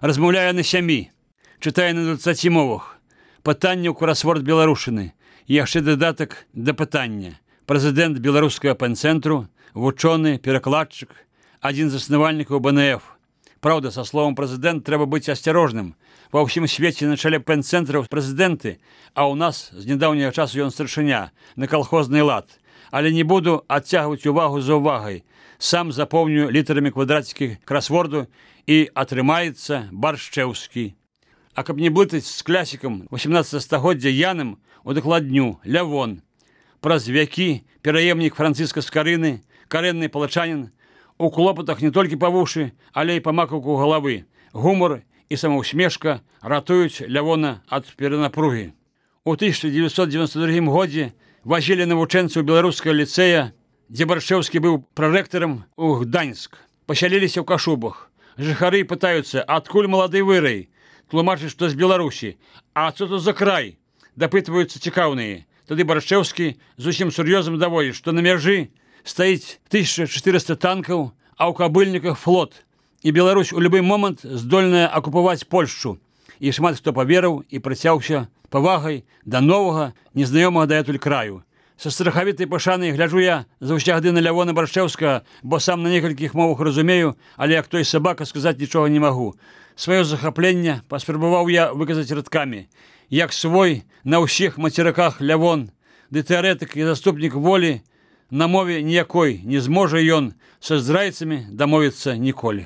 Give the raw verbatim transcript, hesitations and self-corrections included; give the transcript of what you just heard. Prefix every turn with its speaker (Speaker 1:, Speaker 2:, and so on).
Speaker 1: Размаўляе на сямі, чытае на дваццаці мовах. Пытанне ў красворд беларушчыны. І яшчэ дадатак да пытання. Прэзідэнт беларускага пэн-цэнтру, вучоны, перакладчык, адзін з заснавальнікаў бэ эн эф. Праўда, са словам прэзідэнт трэба быць асцярожным. Ва ўсім свеце на чале пэн-цэнтраў прэзідэнты, а ў нас з нядаўняга часу ён старшыня на калхозны лад. Але не буду адцягваць увагу за ўвагай. Сам запомню літарамі квадрацікі красворду і атрымаецца Баршчэўскі. А каб не блытаць з класікам васямнаццатага стагоддзя Яным, удакладню Лявон. Праз вякі пераемнік Францыска Скарыны, карэнны палачанін, у клопатах не толькі па вушы, але і па макаўку галавы. Гумар і самаўсмешка ратуюць Лявона ад перанапругі. У тысяча дзевяцьсот дзевяносто другім годзе вазілі навучэнцаў беларускага ліцэя, дзе Баршчэўскі быў прарэктарам у Гданьск. Пасяліліся ў Кашубах. Жыхары пытаюцца, адкуль малады вырай? Тлумачыць, што з Беларусі. А што тут за край? Дапытваюцца цікаўныя. Тады Баршчэўскі зусім сур'ёзна даводзіць, што на мяжы стаіць тысяча чатырыста танкаў, а ў кабыльніках флот. І Беларусь у любы момант здольная акупаваць Польшчу. І шмат хто паверыў і прыцяўся павагай да новага, незнаёмага датуль краю. Са страхавітай пашанай гляджу я заўсягды на Лявона Баршчэўскага, бо сам на некалькіх мовах разумею, але як той сабака сказаць нічога не магу. Сваё захапленне паспрабаваў я выказаць радкамі. Як свой на ўсіх мацерыках Лявон, ды тэарэтык і заступнік волі, на мове ніякой не зможа ён са здрайцамі дамовіцца ніколі.